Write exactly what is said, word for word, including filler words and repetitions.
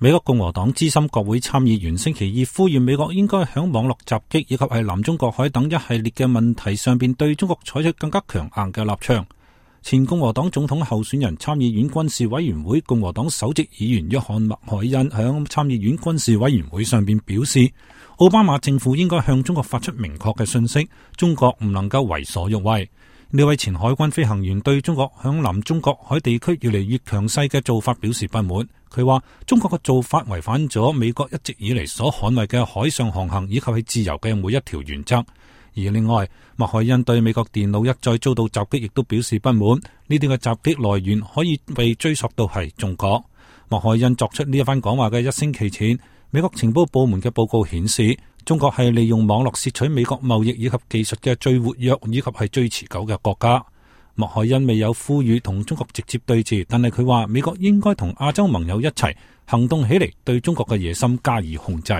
美國共和黨資深國會參議員星期二呼籲美國應該響網絡襲擊以及係南中國海等一系列嘅問題上邊對中國採取更加強硬嘅立場。前共和黨總統候選人參議院軍事委員會共和黨首席議員約翰麥凱恩響參議院軍事委員會上邊表示，奧巴馬政府應該向中國發出明確嘅訊息，中國唔能夠為所欲為。呢位前海軍飛行員對中國響南中國海地區越嚟越強勢嘅做法表示不滿。佢話中國嘅做法違反咗美國一直以嚟所捍衛嘅海上航行以及係自由嘅每一條原則。而另外，麥凱恩對美國電腦一再遭到襲擊亦都表示不滿。呢啲嘅襲擊來源可以被追溯到係中國。麥凱恩作出呢一番講話嘅一星期前，美國情報部門嘅報告顯示，中國係利用網絡竊取美國貿易以及技術嘅最活躍以及係最持久嘅國家。麥凱恩未有呼籲同中國直接對峙，但係佢話美國應該同亞洲盟友一齊行動起嚟，對中國嘅野心加以控制。